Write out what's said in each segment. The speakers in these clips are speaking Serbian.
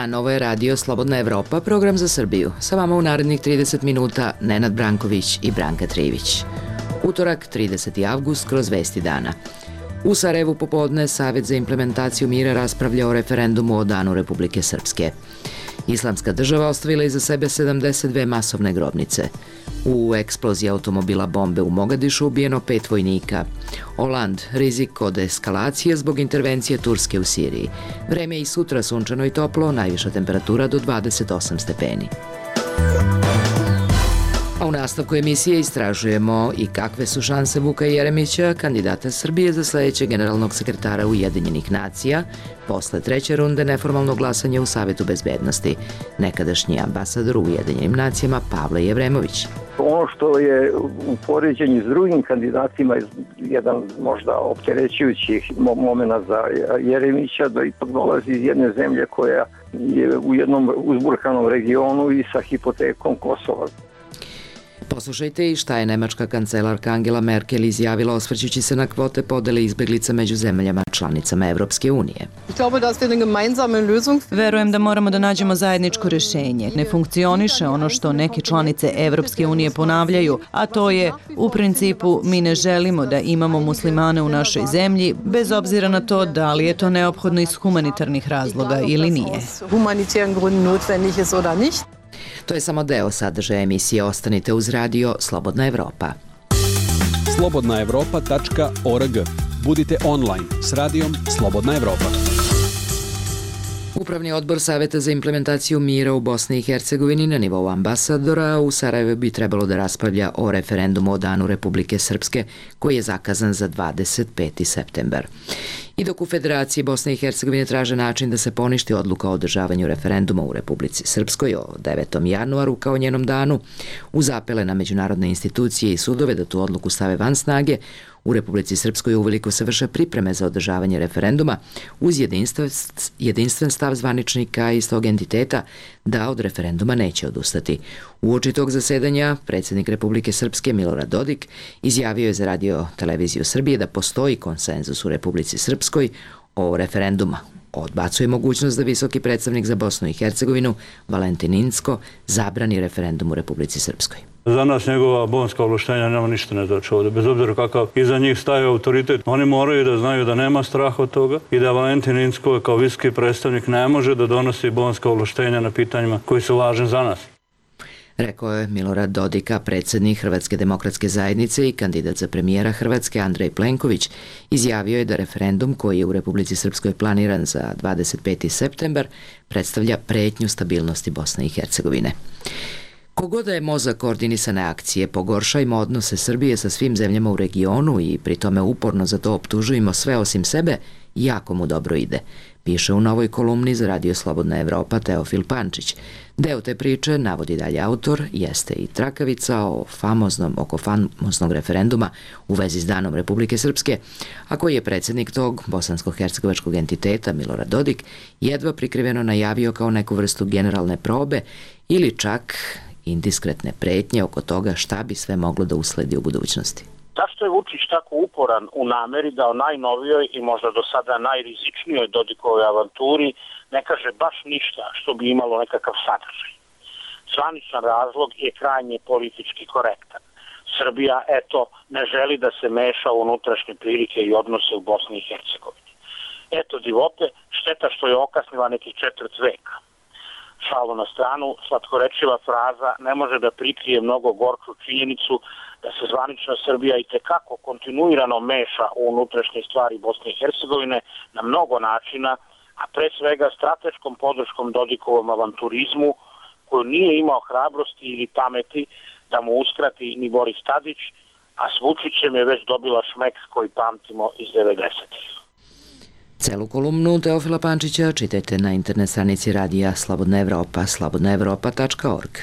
dan, ovo je radio Slobodna Evropa, program za Srbiju. Sa vama u narednih 30 minuta Nenad Branković i Branka Trivić. Utorak, 30. avgust, kroz vesti dana. U Sarajevu popodne Savet za implementaciju mira raspravlja o referendumu o Danu Republike Srpske. Islamska država ostavila iza sebe 72 masovne grobnice. U eksploziji automobila bombe u Mogadišu ubijeno 5 vojnika. Oland, rizik od eskalacije zbog intervencije Turske u Siriji. Vreme je i sutra sunčano i toplo, najviša temperatura do 28 stepeni. A u nastavku emisije istražujemo i kakve su šanse Vuka Jeremića, kandidata Srbije za sledećeg generalnog sekretara Ujedinjenih nacija, posle treće runde neformalnog glasanja u Savetu bezbednosti, nekadašnji ambasador u Ujedinjenim nacijama Pavle Jevremović. Ono što je u poređenju s drugim kandidatima jedan možda opterećujući momenta za Jeremića, da ipak dolazi iz jedne zemlje koja je u jednom uzburkanom regionu i sa hipotekom Kosova. Poslušajte i šta je nemačka kancelarka Angela Merkel izjavila osvrćući se na kvote podele izbeglica među zemljama članicama Evropske unije. Verujem da moramo da nađemo zajedničko rešenje. Ne funkcioniše ono što neke članice Evropske unije ponavljaju, a to je u principu mi ne želimo da imamo muslimane u našoj zemlji, bez obzira na to da li je to neophodno iz humanitarnih razloga ili nije. To je samo deo sadržaja emisije. Ostanite uz radio Slobodna Evropa. slobodnaevropa.org. Budite online s radijom Slobodna Evropa. Upravni odbor Saveta za implementaciju mira u Bosni i Hercegovini na nivou ambasadora u Sarajevu bi trebalo da raspravlja o referendumu o Danu Republike Srpske, koji je zakazan za 25. septembar. I dok u Federaciji Bosne i Hercegovine traže način da se poništi odluka o održavanju referenduma u Republici Srpskoj o 9. januaru kao njenom danu, uz apele na međunarodne institucije i sudove da tu odluku stave van snage, u Republici Srpskoj uveliko se vrše pripreme za održavanje referenduma uz jedinstven stav zvaničnika iz tog entiteta da od referenduma neće odustati. Uoči tog zasedanja predsjednik Republike Srpske Milorad Dodik izjavio je za Radio televiziju Srbije da postoji konsenzus u Republici Srpskoj o referenduma. Odbacuje mogućnost da visoki predstavnik za Bosnu i Hercegovinu Valentin Incko zabrani referendum u Republici Srpskoj. Za nas njegova bonska ovlaštenja nema ništa ne znači ovdje, bez obzira kakav iza njih staje autoritet. Oni moraju da znaju da nema straha od toga i da Valentin Incko kao visoki predstavnik ne može da donosi bonska ovlaštenja na pitanjima koji su važni za nas. Rekao je Milorad Dodika, predsjednik Hrvatske demokratske zajednice i kandidat za premijera Hrvatske Andrej Plenković, izjavio je da referendum koji je u Republici Srpskoj planiran za 25. septembar predstavlja pretnju stabilnosti Bosne i Hercegovine. Kogoda je mozak koordinisane akcije, pogoršajmo odnose Srbije sa svim zemljama u regionu i pri tome uporno za to optužujemo sve osim sebe, jako mu dobro ide, piše u novoj kolumni za Radio Slobodna Evropa Teofil Pančić. Deo te priče, navodi dalje autor, jeste i trakavica oko famoznog referenduma u vezi s Danom Republike Srpske, a koji je predsjednik tog bosansko-hercegovačkog entiteta Milorad Dodik jedva prikriveno najavio kao neku vrstu generalne probe ili čak indiskretne pretnje oko toga šta bi sve moglo da usledi u budućnosti. Zašto je Vučić tako uporan u nameri da o najnovijoj i možda do sada najrizičnijoj Dodikovoj avanturi ne kaže baš ništa što bi imalo nekakav sadržaj? Zvaničan razlog je krajnje politički korektan. Srbija, ne želi da se meša u unutrašnje prilike i odnose u Bosni i Hercegovini. Divote, šteta što je okasnila nekih 4 veka. Šalu na stranu, slatkorečiva fraza ne može da prikrije mnogo gorču činjenicu da se zvanična Srbija i tekako kontinuirano meša u unutrašnje stvari Bosne i Hercegovine na mnogo načina, a pre svega strateškom podrškom Dodikovom avanturizmu koju nije imao hrabrosti ili pameti da mu uskrati ni Boris Tadić, a s Vučićem je već dobila šmek koji pamtimo iz 90-ih. Celu kolumnu Teofila Pančića čitajte na internet stranici radija Slobodna Evropa, slobodnaevropa.org.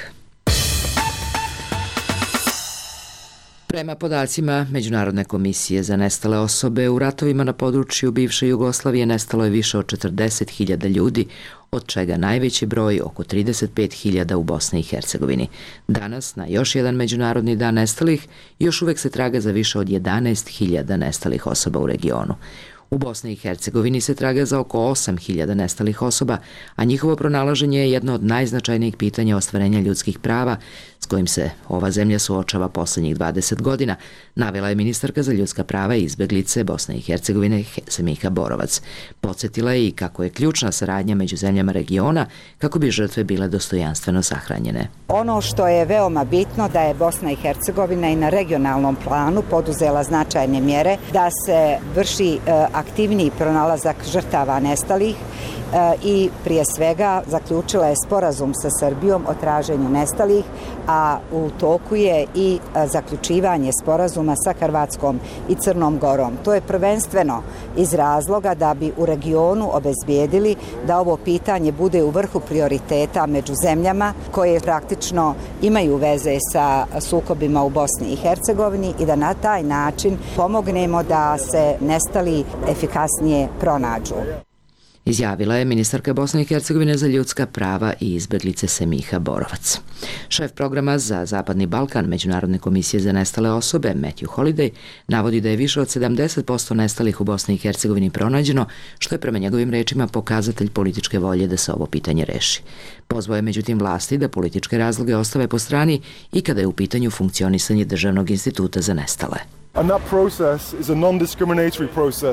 Prema podacima Međunarodne komisije za nestale osobe, u ratovima na području bivše Jugoslavije nestalo je više od 40.000 ljudi, od čega najveći broj, oko 35.000 u Bosni i Hercegovini. Danas, na još jedan Međunarodni dan nestalih, još uvek se traga za više od 11.000 nestalih osoba u regionu. U Bosni i Hercegovini se traga za oko 8.000 nestalih osoba, a njihovo pronalaženje je jedno od najznačajnijih pitanja ostvarenja ljudskih prava s kojim se ova zemlja suočava poslednjih 20 godina, navela je ministarka za ljudska prava i izbeglice Bosne i Hercegovine Semiha Borovac. Podsjetila je i kako je ključna saradnja među zemljama regiona kako bi žrtve bile dostojanstveno sahranjene. Ono što je veoma bitno da je Bosna i Hercegovina i na regionalnom planu poduzela značajne mjere da se vrši aktivniji pronalazak žrtava nestalih i prije svega zaključila je sporazum sa Srbijom o traženju nestalih, a u toku je i zaključivanje sporazuma sa Hrvatskom i Crnom Gorom. To je prvenstveno iz razloga da bi u regionu obezbijedili da ovo pitanje bude u vrhu prioriteta među zemljama koje praktično imaju veze sa sukobima u Bosni i Hercegovini i da na taj način pomognemo da se nestali efikasnije pronađu. Izjavila je ministarka Bosne i Hercegovine za ljudska prava i izbeglice Semiha Borovac. Šef programa za Zapadni Balkan Međunarodne komisije za nestale osobe Matthew Holiday navodi da je više od 70% nestalih u Bosni i Hercegovini pronađeno, što je prema njegovim rečima pokazatelj političke volje da se ovo pitanje reši. Pozvao je međutim vlasti da političke razloge ostave po strani i kada je u pitanju funkcionisanje Državnog instituta za nestale.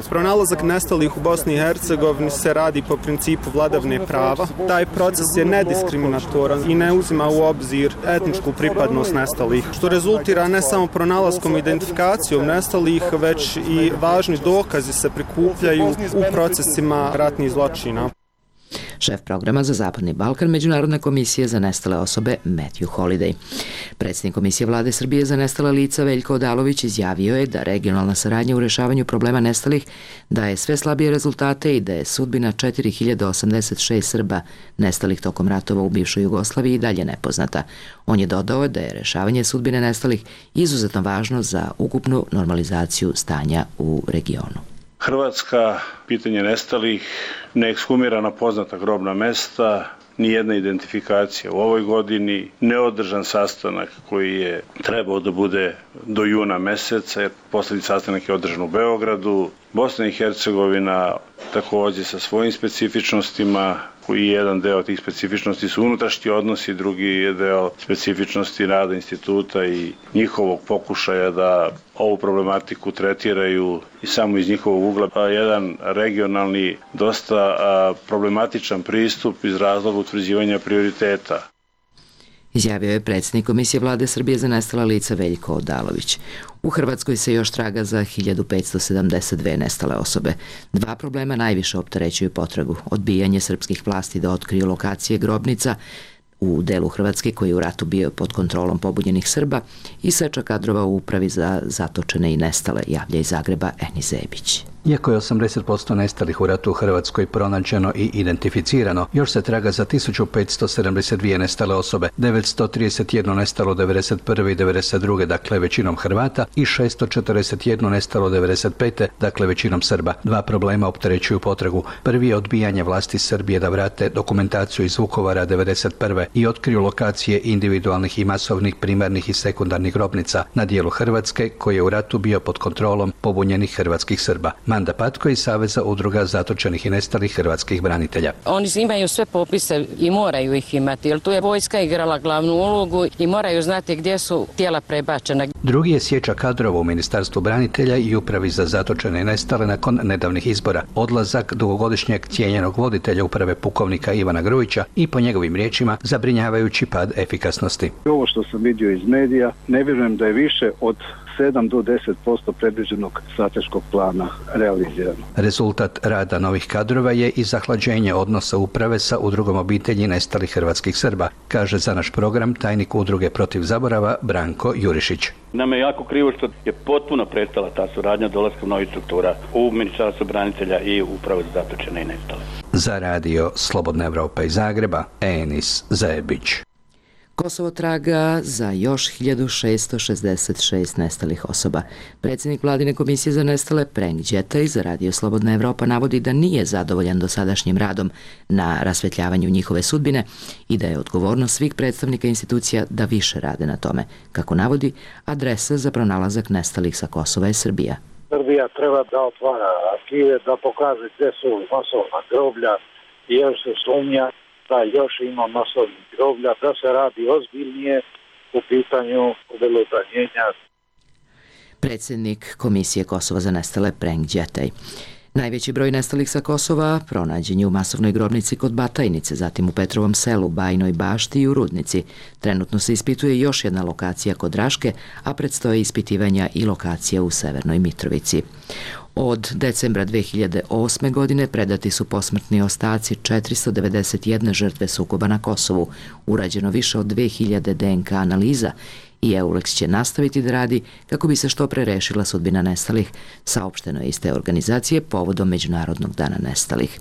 Pronalazak nestalih u Bosni i Hercegovini se radi po principu vladavine prava. Taj proces je nediskriminatoran i ne uzima u obzir etničku pripadnost nestalih, što rezultira ne samo pronalaskom i identifikacijom nestalih, već i važni dokazi se prikupljaju u procesima ratnih zločina. Šef programa za Zapadni Balkan Međunarodne komisije za nestale osobe Matthew Holiday. Predsjednik Komisije vlade Srbije za nestala lica Veljko Odalović izjavio je da regionalna saradnja u rešavanju problema nestalih daje sve slabije rezultate i da je sudbina 4086 Srba nestalih tokom ratova u bivšoj Jugoslaviji i dalje nepoznata. On je dodao da je rešavanje sudbine nestalih izuzetno važno za ukupnu normalizaciju stanja u regionu. Hrvatska pitanje nestalih, neekshumirana poznata grobna mesta, nijedna identifikacija u ovoj godini, neodržan sastanak koji je trebao da bude do juna meseca, jer poslednji sastanak je održan u Beogradu. Bosna i Hercegovina takođe sa svojim specifičnostima, koji jedan deo tih specifičnosti su unutrašnji odnosi, drugi je deo specifičnosti rada instituta i njihovog pokušaja da ovu problematiku tretiraju i samo iz njihovog ugla. Jedan regionalni, dosta problematičan pristup iz razloga utvrđivanja prioriteta. Izjavio je predsjednik Komisije vlade Srbije za nestala lica Veljko Odalović. U Hrvatskoj se još traga za 1572 nestale osobe. Dva problema najviše opterećuju potragu. Odbijanje srpskih vlasti da otkriju lokacije grobnica u delu Hrvatske koji je u ratu bio pod kontrolom pobunjenih Srba i seča kadrova u upravi za zatočene i nestale, javlja iz Zagreba Enis Zebić. Iako je 80% nestalih u ratu u Hrvatskoj pronađeno i identificirano, još se traga za 1572 nestale osobe, 931 nestalo 91. i 92. dakle većinom Hrvata i 641 nestalo 95. dakle većinom Srba. Dva problema opterećuju potragu. Prvi je odbijanje vlasti Srbije da vrate dokumentaciju iz Vukovara 91. i otkriju lokacije individualnih i masovnih primarnih i sekundarnih grobnica na dijelu Hrvatske koji je u ratu bio pod kontrolom pobunjenih hrvatskih Srba. Manda Patko iz Saveza udruga zatočenih i nestalih hrvatskih branitelja. Oni imaju sve popise i moraju ih imati, jer tu je vojska igrala glavnu ulogu i moraju znati gdje su tijela prebačena. Drugi je sječa kadrova u Ministarstvu branitelja i upravi za zatočene i nestale nakon nedavnih izbora. Odlazak dugogodišnjeg cijenjenog voditelja uprave pukovnika Ivana Grujića i po njegovim riječima zabrinjavajući pad efikasnosti. Ovo što sam vidio iz medija, ne vjerujem da je više od 7 do 10% predviđenog strateškog plana realizirano. Rezultat rada novih kadrova je i zahlađenje odnosa uprave sa udrugom obitelji nestalih hrvatskih Srba, kaže za naš program tajnik udruge Protiv zaborava Branko Jurišić. Nama je jako krivo što je potpuno prestala ta suradnja dolaskom novih struktura u Ministarstvu branitelja i upravo za zatočene i nestale. Za radio Slobodna Evropa iz Zagreba, Enis Zebić. Kosovo traga za još 1666 nestalih osoba. Predsjednik Vladine komisije za nestale Prenk Đetaj za radio Slobodna Evropa navodi da nije zadovoljan dosadašnjim radom na rasvetljavanju njihove sudbine i da je odgovornost svih predstavnika institucija da više rade na tome. Kako navodi, adresa za pronalazak nestalih sa Kosova je Srbija. Srbija treba da otvara arhive, da pokaže gde su masovna groblja, jer se sumnja da još ima masovnih groblja, da se radi ozbiljnije u pitanju obelodanjenja. Predsjednik Komisije Kosova za nestale Prenk Đetej. Najveći broj nestalih sa Kosova pronađen je u masovnoj grobnici kod Batajnice, zatim u Petrovom selu, Bajnoj Bašti i u Rudnici. Trenutno se ispituje još jedna lokacija kod Raške, a predstoje ispitivanja i lokacija u Severnoj Mitrovici. Od decembra 2008. godine predati su posmrtni ostaci 491 žrtve sukoba na Kosovu, urađeno više od 2000 DNK analiza i EULEX će nastaviti da radi kako bi se što pre rešila sudbina nestalih, saopšteno je iz te organizacije povodom Međunarodnog dana nestalih.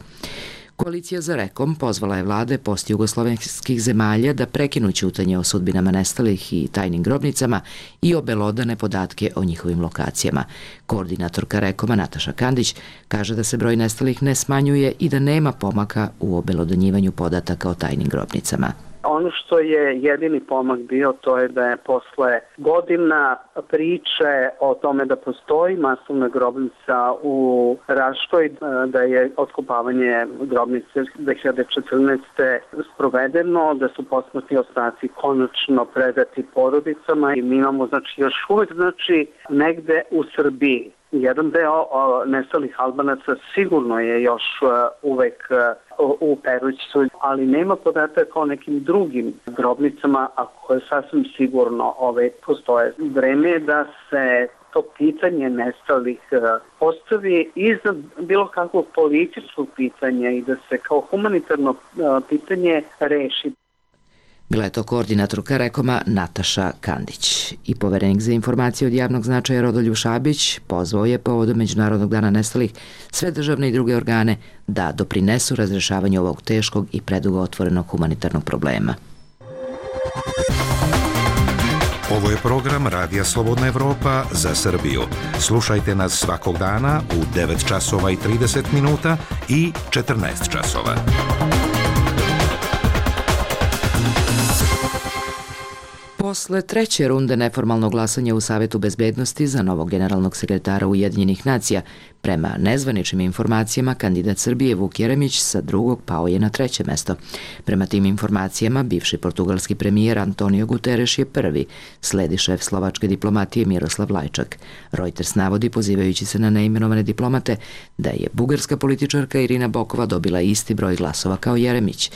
Koalicija za Rekom pozvala je vlade postjugoslovenskih zemalja da prekinu ćutanje o sudbinama nestalih i tajnim grobnicama i obelodane podatke o njihovim lokacijama. Koordinatorka Rekoma Nataša Kandić kaže da se broj nestalih ne smanjuje i da nema pomaka u obelodanjivanju podataka o tajnim grobnicama. Ono što je jedini pomak bio, to je da je posle godina priče o tome da postoji masovna grobnica u Raškoj, da je otkopavanje grobnice 2014. sprovedeno, da su posmrtni ostaci konačno predati porodicama i mi imamo još uvek negde u Srbiji. Jedan deo nestalih Albanaca sigurno je još uvek u Perućcu, ali nema podataka o nekim drugim grobnicama, a koje sasvim sigurno postoje. Vreme je da se to pitanje nestalih postavi iznad bilo kakvog političkog pitanja i da se kao humanitarno pitanje reši. Bila je to koordinatorka Rekoma Nataša Kandić. I poverenik za informacije od javnog značaja Rodoljub Šabić pozvao je povodom Međunarodnog dana nestalih sve državne i druge organe da doprinesu razrešavanju ovog teškog i predugo otvorenog humanitarnog problema. Ovo je program Radija Slobodna Evropa za Srbiju. Slušajte nas svakog dana u 9 časova i 30 minuta i 14 časova. Posle treće runde neformalnog glasanja u Savetu bezbednosti za novog generalnog sekretara Ujedinjenih nacija, prema nezvaničnim informacijama, kandidat Srbije Vuk Jeremić sa drugog pao je na treće mesto. Prema tim informacijama, bivši portugalski premijer Antonio Guterres je prvi, sledi šef slovačke diplomatije Miroslav Lajčak. Reuters navodi, pozivajući se na neimenovane diplomate, da je bugarska političarka Irina Bokova dobila isti broj glasova kao Jeremić.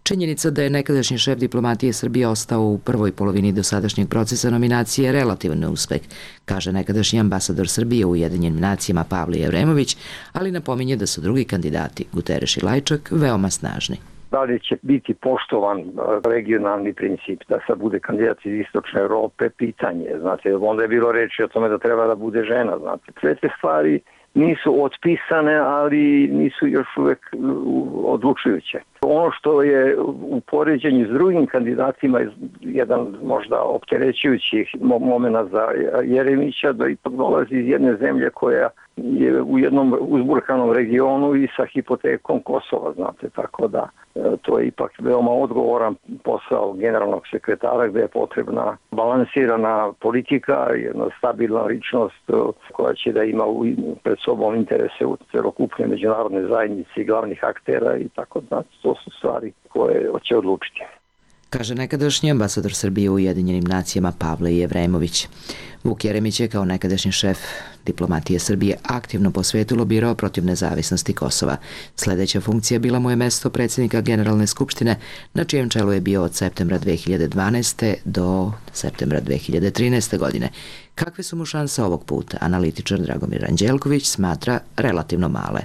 Činjenica da je nekadašnji šef diplomatije Srbije ostao u prvoj polovini dosadašnjeg procesa nominacije relativan neuspeh, kaže nekadašnji ambasador Srbije u Ujedinjenim nacijama Pavle Jevremović, ali napominje da su drugi kandidati, Guterres i Lajčak, veoma snažni. Da li će biti poštovan regionalni princip da sad bude kandidat iz Istočne Evrope, pitanje. Znate, onda je bilo reči o tome da treba da bude žena. Znate, sve te stvari nisu otpisane, ali nisu još uvek odlučujuće. Ono što je u poređenju s drugim kandidatima jedan možda opterećujući moment za Jeremića, da ipak dolazi iz jedne zemlje koja je u jednom uzburkanom regionu i sa hipotekom Kosova, znate, tako da to je ipak veoma odgovoran posao generalnog sekretara gde je potrebna balansirana politika, jedna stabilna ličnost koja će da ima pred sobom interese u celokupne međunarodne zajednice i glavnih aktera i tako da to su stvari koje će odlučiti. Kaže nekadašnji ambasador Srbije u Ujedinjenim nacijama Pavle Jevremović. Vuk Jeremić je kao nekadašnji šef diplomatije Srbije aktivno po svetu lobirao protiv nezavisnosti Kosova. Sledeća funkcija bila mu je mesto predsjednika Generalne skupštine, na čijem čelu je bio od septembra 2012. do septembra 2013. godine. Kakve su mu šanse ovog puta? Analitičar Dragomir Anđelković smatra relativno male.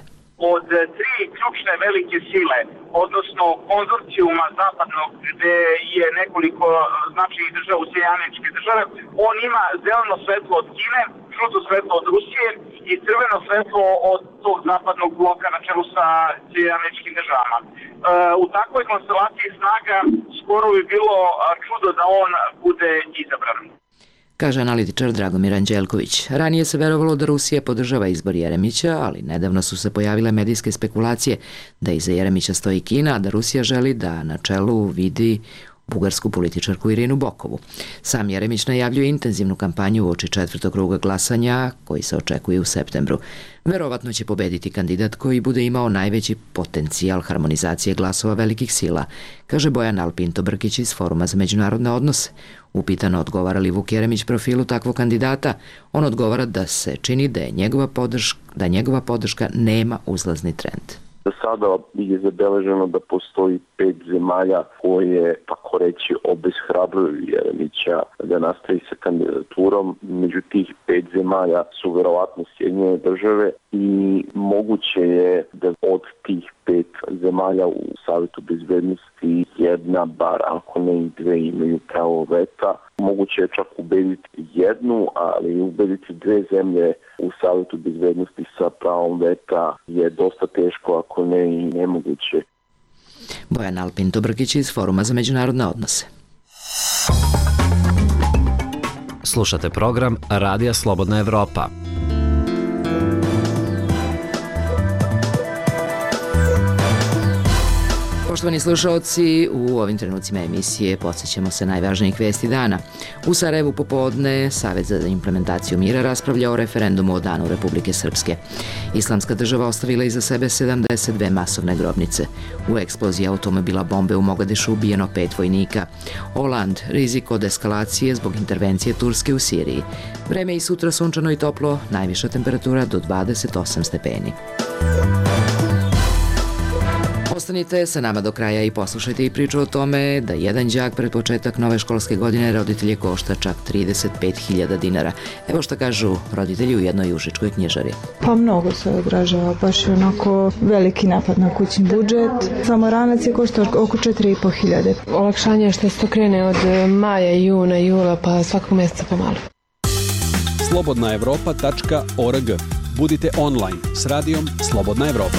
Od tri ključne velike sile, odnosno konzorcijuma zapadnog gde je nekoliko značajnih država u Sjedinjene Američke Države, on ima zeleno svetlo od Kine, žuto svetlo od Rusije i crveno svetlo od tog zapadnog bloka na čelu sa Sjedinjenim Američkim Državama. U takvoj konstelaciji snaga skoro bi bilo čudo da on bude izabran, kaže analitičar Dragomir Anđelković. Ranije se verovalo da Rusija podržava izbor Jeremića, ali nedavno su se pojavile medijske spekulacije da iza Jeremića stoji Kina, a da Rusija želi da na čelu vidi bugarsku političarku Irinu Bokovu. Sam Jeremić najavljuje intenzivnu kampanju uoči 4. kruga glasanja koji se očekuje u septembru. Verovatno će pobediti kandidat koji bude imao najveći potencijal harmonizacije glasova velikih sila, kaže Bojan Alpinto Brkić iz Foruma za međunarodne odnose. Upitano odgovara li Vuk Jeremić profilu takvog kandidata, on odgovara da se čini da njegova podrška nema uzlazni trend. Do sada je zabeleženo da postoji 5 zemalja koje, tako reći, obeshrabruju Jeremića da nastavi sa kandidaturom. Među tih 5 zemalja su verovatno Sjedinjene države i moguće je da od tih 5 zemalja u Savetu bezbednosti jedna, bar ako ne i 2, imaju pravo veta. Moguće je čak ubediti jednu, ali ubediti 2 zemlje u Savetu bezbednosti sa pravom veta je dosta teško, ako ne i nemoguće. Bojan Alpinto Brkić iz Foruma za međunarodne odnose. Slušate program Radija Slobodna Evropa. Poštovani slušalci, u ovim trenucima emisije podsjećamo se najvažnijih vesti dana. U Sarajevu popodne Savet za implementaciju mira raspravlja o referendumu o Danu Republike Srpske. Islamska država ostavila iza sebe 72 masovne grobnice. U eksploziji automobila bombe u Mogadišu ubijeno 5 vojnika. Oland, rizik od eskalacije zbog intervencije Turske u Siriji. Vreme i sutra sunčano i toplo, najviša temperatura do 28 stepeni. Ostanite sa nama do kraja i poslušajte i priču o tome da jedan đak pred početak nove školske godine roditelje košta čak 35.000 dinara. Evo šta kažu roditelji u jednoj užičkoj knjižari. Pa mnogo se odražava, baš je onako veliki napad na kućni budžet. Samo ranac je košta oko 4.500. Olakšanje je što se to krene od maja, juna, jula, pa svakog mjeseca pomalo. slobodnaevropa.org. Budite online s radijom Slobodna Evropa.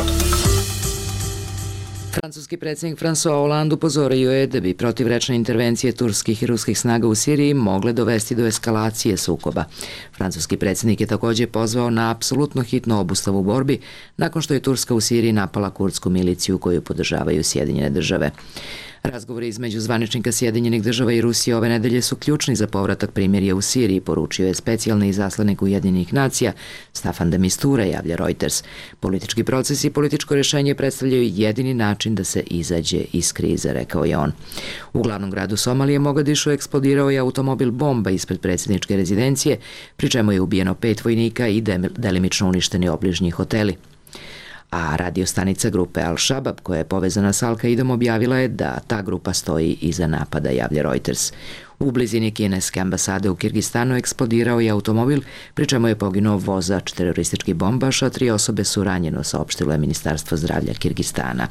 Francuski predsjednik François Hollande upozorio je da bi protivrečne intervencije turskih i ruskih snaga u Siriji mogle dovesti do eskalacije sukoba. Francuski predsjednik je također pozvao na apsolutno hitnu obustavu borbi nakon što je Turska u Siriji napala kurdsku miliciju koju podržavaju Sjedinjene države. Razgovori između zvaničnika Sjedinjenih država i Rusije ove nedelje su ključni za povratak primirja u Siriji, poručio je specijalni izaslanik Ujedinjenih nacija Staffan de Mistura, javlja Reuters. Politički proces i političko rješenje predstavljaju jedini način da se izađe iz krize, rekao je on. U glavnom gradu Somalije Mogadišu eksplodirao je automobil bomba ispred predsjedničke rezidencije, pri čemu je ubijeno 5 vojnika i delimično uništeni obližnji hoteli. A radiostanica grupe Al-Shabaab, koja je povezana s Al-Qaidom, objavila je da ta grupa stoji iza napada, javlja Reuters. U blizini kineske ambasade u Kirgistanu eksplodirao je automobil, pri čemu je poginuo vozač teroristički bombaš, a 3 osobe su ranjeno, saopštilo je Ministarstvo zdravlja Kirgistana.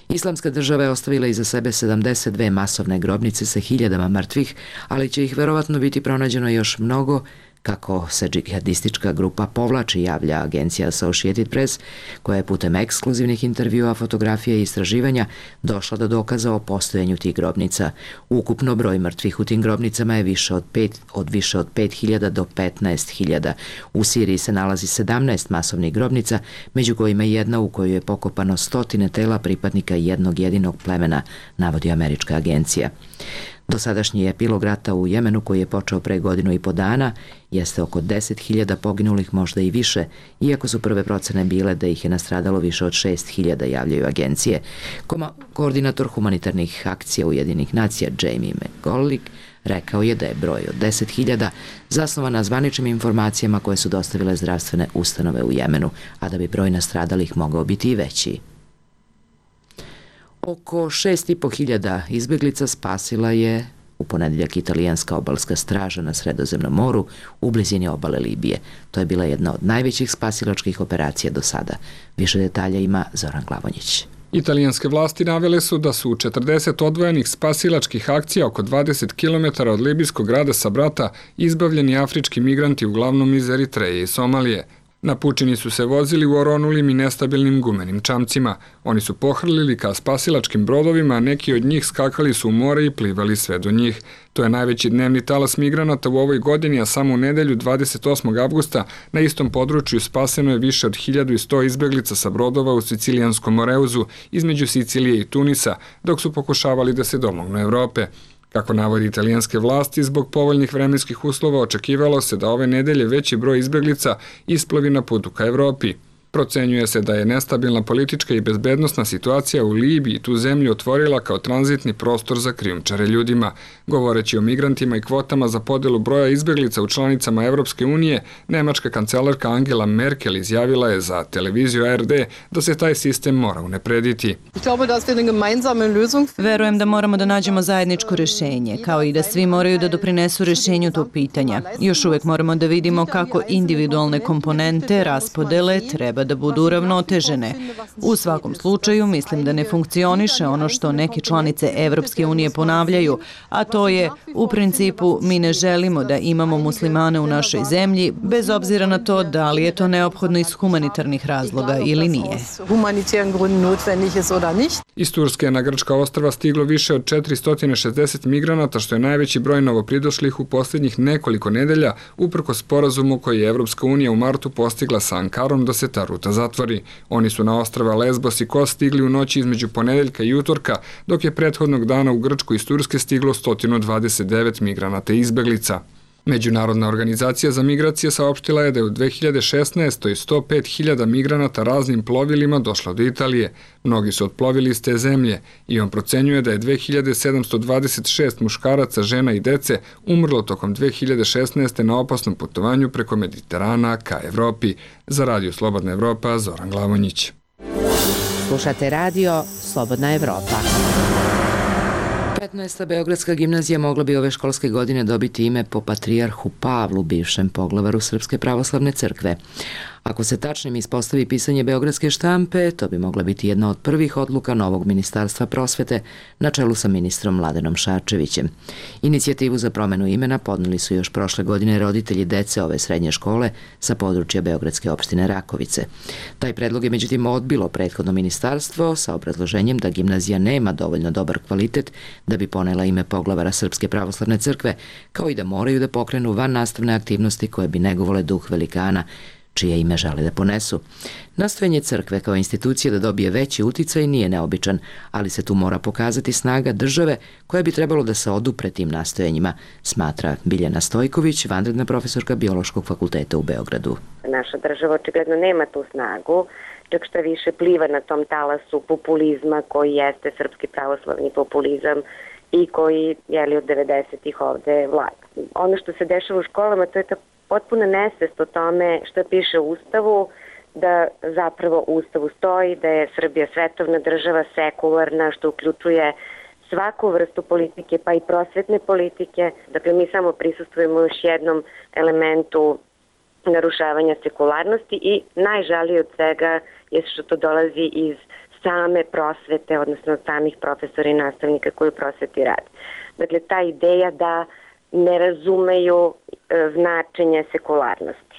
Islamska država je ostavila iza sebe 72 masovne grobnice sa hiljadama mrtvih, ali će ih verovatno biti pronađeno još mnogo kako se džihadistička grupa povlači, javlja agencija Associated Press, koja je putem ekskluzivnih intervjua, fotografija i istraživanja došla do dokaza o postojanju tih grobnica. Ukupno broj mrtvih u tim grobnicama je više od 5.000 do 15.000. U Siriji se nalazi 17 masovnih grobnica, među kojima je jedna u kojoj je pokopano 100 tela pripadnika jednog jedinog plemena, navodi američka agencija. Dosadašnji epilog rata u Jemenu, koji je počeo pre 1,5 godina, jeste oko 10.000 poginulih, možda i više, iako su prve procene bile da ih je nastradalo više od 6.000, javljaju agencije. Koordinator humanitarnih akcija Ujedinjenih nacija Jamie McGollick rekao je da je broj od 10.000 zasnovan na zvaničnim informacijama koje su dostavile zdravstvene ustanove u Jemenu, a da bi broj nastradalih mogao biti i veći. Oko 6.500 izbjeglica spasila je u ponedjeljak italijanska obalska straža na Sredozemnom moru u blizini obale Libije. To je bila jedna od najvećih spasilačkih operacija do sada. Više detalja ima Zoran Glavonjić. Italijanske vlasti navele su da su u 40 odvojenih spasilačkih akcija oko 20 km od libijskog grada Sabrata izbavljeni afrički migranti uglavnom iz Eritreje i Somalije. Na pučini su se vozili u oronulim i nestabilnim gumenim čamcima. Oni su pohrlili ka spasilačkim brodovima, a neki od njih skakali su u more i plivali sve do njih. To je najveći dnevni talas migranata u ovoj godini, a samo u nedelju 28. avgusta na istom području spaseno je više od 1100 izbeglica sa brodova u Sicilijanskom Moreuzu između Sicilije i Tunisa, dok su pokušavali da se domognu Evrope. Kako navodi italijanske vlasti, zbog povoljnih vremenskih uslova očekivalo se da ove nedelje veći broj izbeglica isplovi na putu ka Evropi. Procenjuje se da je nestabilna politička i bezbednosna situacija u Libiji tu zemlju otvorila kao tranzitni prostor za krijumčare ljudima. Govoreći o migrantima i kvotama za podelu broja izbeglica u članicama Evropske unije, nemačka kancelarka Angela Merkel izjavila je za televiziju ARD da se taj sistem mora unaprediti. Verujem da moramo da nađemo zajedničko rešenje, kao i da svi moraju da doprinesu rešenju tog pitanja. Još uvek moramo da vidimo kako individualne komponente raspodele treba da budu uravnotežene. U svakom slučaju, mislim da ne funkcioniše ono što neke članice Evropske unije ponavljaju, a to je, u principu, mi ne želimo da imamo muslimane u našoj zemlji, bez obzira na to da li je to neophodno iz humanitarnih razloga ili nije. Iz Turske na grčka ostrva stiglo više od 460 migranata, što je najveći broj novopridošlih u posljednjih nekoliko nedelja, uprkos sporazumu koji je Evropska unija u martu postigla sa Ankarom da se ta ruta zatvori. Oni su na ostrva Lesbos i Kos stigli u noći između ponedeljka i utorka, dok je prethodnog dana u Grčku iz Turske stiglo 129 migranata i izbeglica. Međunarodna organizacija za migracije saopštila je da je u 2016. 105.000 migranata raznim plovilima došlo do Italije. Mnogi su otplovili iz te zemlje i on procenjuje da je 2726 muškaraca, žena i dece umrlo tokom 2016. na opasnom putovanju preko Mediterana ka Evropi. Za Radio Slobodna Evropa, Zoran Glavonjić. Slušate Radio Slobodna Evropa. 15. Beogradska gimnazija mogla bi ove školske godine dobiti ime po patrijarhu Pavlu, bivšem poglavaru Srpske pravoslavne crkve. Ako se tačnim ispostavi pisanje beogradske štampe, to bi mogla biti jedna od prvih odluka novog ministarstva prosvete na čelu sa ministrom Mladenom Šarčevićem. Inicijativu za promenu imena podneli su još prošle godine roditelji dece ove srednje škole sa područja beogradske opštine Rakovice. Taj predlog je međutim odbilo prethodno ministarstvo sa obrazloženjem da gimnazija nema dovoljno dobar kvalitet da bi ponela ime poglavara Srpske pravoslavne crkve, kao i da moraju da pokrenu van nastavne aktivnosti koje bi negovale duh velikana čije ime žele da ponesu. Nastojanje crkve kao institucije da dobije veći uticaj nije neobičan, ali se tu mora pokazati snaga države koja bi trebalo da se odupre tim nastojanjima, smatra Biljana Stojković, vanredna profesorka Biološkog fakulteta u Beogradu. Naša država očigledno nema tu snagu, čak šta više pliva na tom talasu populizma koji jeste srpski pravoslavni populizam i koji je od 90-ih ovde vlada. Ono što se dešava u školama, to je ta potpuna nesvest o tome što piše u Ustavu, da zapravo u Ustavu stoji da je Srbija svetovna država, sekularna, što uključuje svaku vrstu politike, pa i prosvetne politike. Dakle, mi samo prisustvujemo još jednom elementu narušavanja sekularnosti i najžalije od svega je što to dolazi iz same prosvete, odnosno od samih profesora i nastavnika koji u prosveti rade. Dakle, ta ideja da ne razumeju značenje sekularnosti.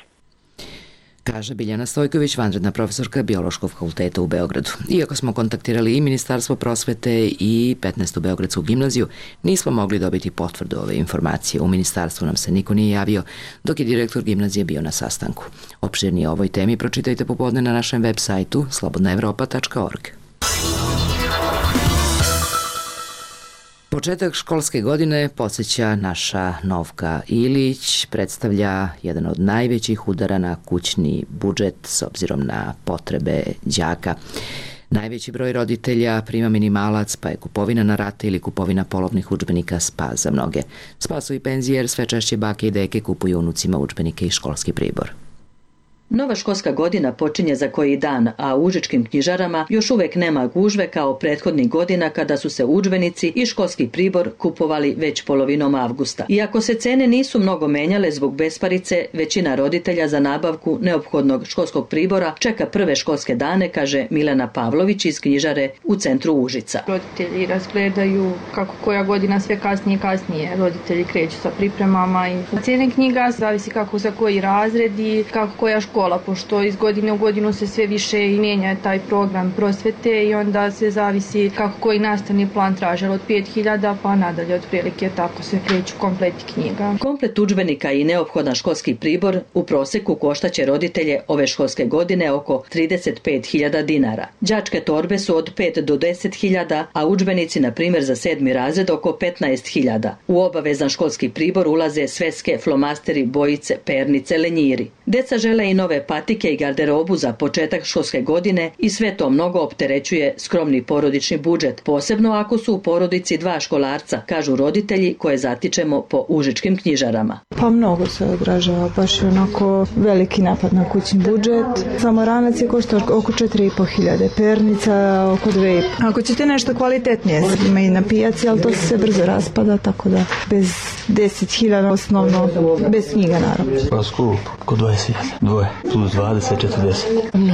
Kaže Biljana Stojković, vanredna profesorka Biološkog fakulteta u Beogradu. Iako smo kontaktirali i Ministarstvo prosvete i 15. Beogradsku gimnaziju, nismo mogli dobiti potvrdu ove informacije. U ministarstvu nam se niko nije javio, dok je direktor gimnazije bio na sastanku. Opširnije o ovoj temi pročitajte popodne na našem web sajtu slobodnaevropa.org. Početak školske godine, podsjeća naša Novka Ilić, predstavlja jedan od najvećih udara na kućni budžet s obzirom na potrebe đaka. Najveći broj roditelja prima minimalac, pa je kupovina na rate ili kupovina polovnih udžbenika spas za mnoge. Spas su i penzije jer sve češće bake i deke kupuju unucima udžbenike i školski pribor. Nova školska godina počinje za koji dan, a u užičkim knjižarama još uvek nema gužve kao prethodnih godina kada su se udžbenici i školski pribor kupovali već polovinom avgusta. Iako se cene nisu mnogo menjale zbog besparice, većina roditelja za nabavku neophodnog školskog pribora čeka prve školske dane, kaže Milena Pavlović iz knjižare u centru Užica. Roditelji razgledaju kako koja godina sve kasnije i kasnije. Roditelji kreću sa pripremama i cijene knjiga zavisi kako za koji razred i kako koja škola škola, pošto iz godine u godinu se sve više i mijenja taj program prosvete i onda se zavisi kako koji nastavni plan traže od 5000 pa nadalje otprilike, tako se kreću kompleti knjiga. Komplet udžbenika i neophodan školski pribor u proseku koštaće roditelje ove školske godine oko 35.000 dinara. Đačke torbe su od 5 do 10.000, a udžbenici na primjer za 7. razred oko 15.000. U obavezan školski pribor ulaze sveske, flomasteri, bojice, pernice, lenjiri. Deca žele i nove patike i garderobu za početak školske godine i sve to mnogo opterećuje skromni porodični budžet, posebno ako su u porodici 2 školarca, kažu roditelji koje zatičemo po užičkim knjižarama. Pa mnogo se odražava, baš je onako veliki napad na kućni budžet. Samoranac je košta oko 4.500, pernica oko 2.500. Ako ćete nešto kvalitetnije, ima i na pijaci, ali to se brzo raspada, tako da bez 10.000 osnovno, bez knjiga naravno. Pa skup, oko 20.000, dvoje, plus 20, 40.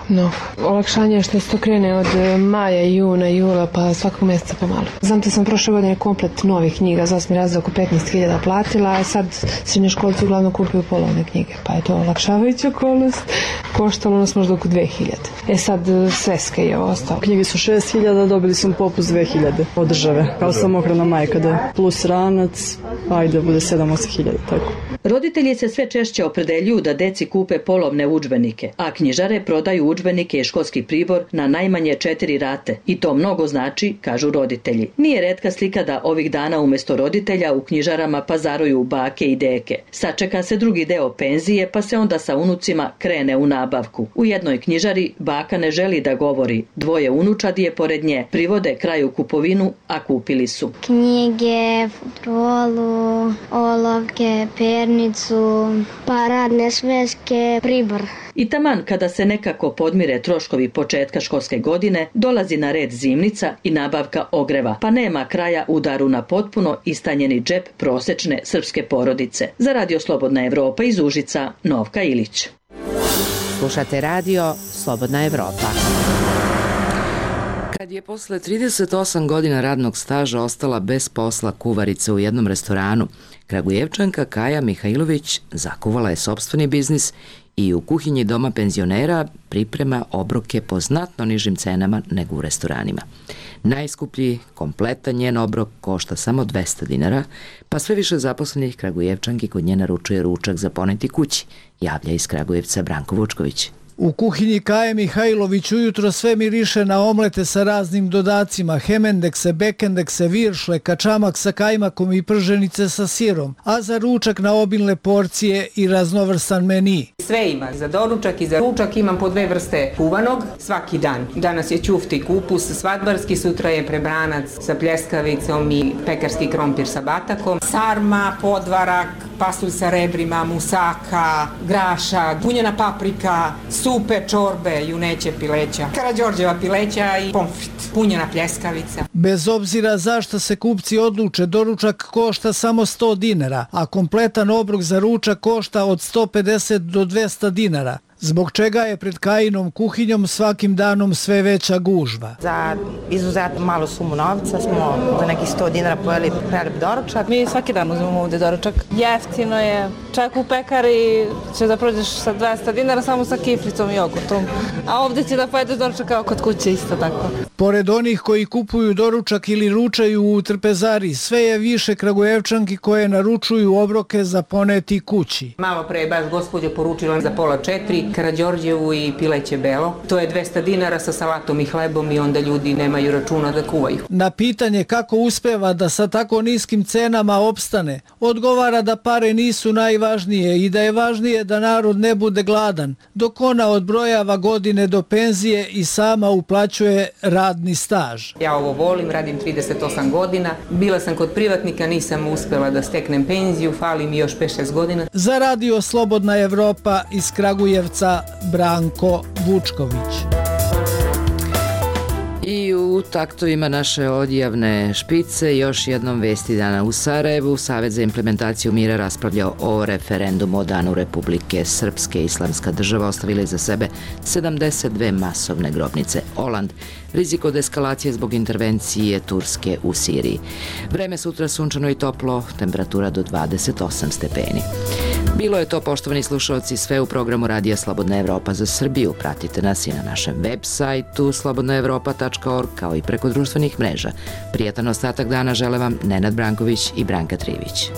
Mnogo. Olakšanje je što se to krene od maja, juna, jula, pa svakog mjeseca pomalo. Znam da sam prošle godine komplet novih knjiga za 8. razred oko 15.000 platila, a sad srednjoškolci uglavnom kupuju polovne knjige, pa je to olakšavajuća okolnost. Koštalo nas možda oko 2.000. Sad sveske je ostalo. Knjige su 6.000, dobili smo popust 2.000 od države. Kao samohrana majka da plus ranac, ajde bude 7-8.000, tako. Roditelji se sve češće opredeljuju da deci kupe polovne udžbenike, a knjižare prodaju udžbenike i školski pribor na najmanje 4 rate. I to mnogo znači, kažu roditelji. Nije retka slika da ovih dana umjesto roditelja u knjižarama pazaruju bake i deke. Sačeka se drugi deo penzije, pa se onda sa unucima krene u nabavku. U jednoj knjižari baka ne želi da govori. 2 unučadi je pored nje. Privode kraju kupovinu, a kupili su knjige, futrolu, olovke, pernicu, pa radne sveske, pribor. I taman kada se nekako podmire troškovi početka školske godine, dolazi na red zimnica i nabavka ogreva, pa nema kraja udaru na potpuno istanjeni džep prosečne srpske porodice. Za Radio Slobodna Evropa iz Užica, Novka Ilić. Slušate radio Slobodna Evropa. Kad je posle 38 godina radnog staža ostala bez posla kuvarica u jednom restoranu, Kragujevčanka Kaja Mihajlović zakuvala je sopstveni biznis i u kuhinji doma penzionera priprema obroke po znatno nižim cenama nego u restoranima. Najskuplji, kompletan njen obrok košta samo 200 dinara, pa sve više zaposlenih Kragujevčanki kod nje naručuje ručak za poneti kući, javlja iz Kragujevca Branko Vučković. U kuhinji Kaje Mihajlović ujutro sve miriše na omlete sa raznim dodacima, hemendekse, bekendekse, viršle, kačamak sa kajmakom i prženice sa sirom, a za ručak na obilne porcije i raznovrstan meni. Sve ima, za doručak i za ručak imam po 2 vrste kuvanog svaki dan. Danas je ćufti kupus, svadbarski, sutra je prebranac sa pljeskavicom i pekarski krompir sa batakom, sarma, podvarak, pasulj sa rebrima, musaka, graša, bunjena paprika, supe, čorbe, juneće pileća, Karađorđeva pileća i pomfrit, punjena pljeskavica. Bez obzira zašto se kupci odluče, doručak košta samo 100 dinara, a kompletan obrok za ručak košta od 150 do 200 dinara. Zbog čega je pred Kajinom kuhinjom svakim danom sve veća gužva. Za izuzetno malu sumu novca smo za nekih 100 dinara pojeli prelep doručak. Mi svaki dan uzmemo ovdje doručak. Jeftino je. Čak u pekari će da prođeš sa 200 dinara samo sa kiflicom i jogurtom. A ovdje će da pojedeš doručak kao kod kuće isto tako. Pored onih koji kupuju doručak ili ručaju u trpezari, sve je više Kragujevčanki koje naručuju obroke za poneti kući. Malo pre je baš gospođa poručila za 3:30 Karađorđevu i pileće belo. To je 200 dinara sa salatom i hlebom i onda ljudi nemaju računa da kuvaju. Na pitanje kako uspeva da sa tako niskim cenama opstane, odgovara da pare nisu najvažnije i da je važnije da narod ne bude gladan, dok ona odbrojava godine do penzije i sama uplaćuje radni staž. Ja ovo volim, radim 38 godina. Bila sam kod privatnika, nisam uspela da steknem penziju, fali mi još 5-6 godina. Za Radio Slobodna Evropa iz Kragujevca Branko Vučković. I u taktovima naše odjavne špice još jednom vesti dana u Sarajevu. Savet za implementaciju mira raspravljao o referendumu o danu Republike Srpske. Islamska država ostavila iza sebe 72 masovne grobnice. Oland, rizik od eskalacije zbog intervencije Turske u Siriji. Vreme sutra sunčano i toplo, temperatura do 28 stepeni. Bilo je to, poštovani slušalci, sve u programu Radija Slobodna Evropa za Srbiju. Pratite nas i na našem web sajtu slobodnaevropa.org kao i preko društvenih mreža. Prijatan ostatak dana žele vam Nenad Branković i Branka Trivić.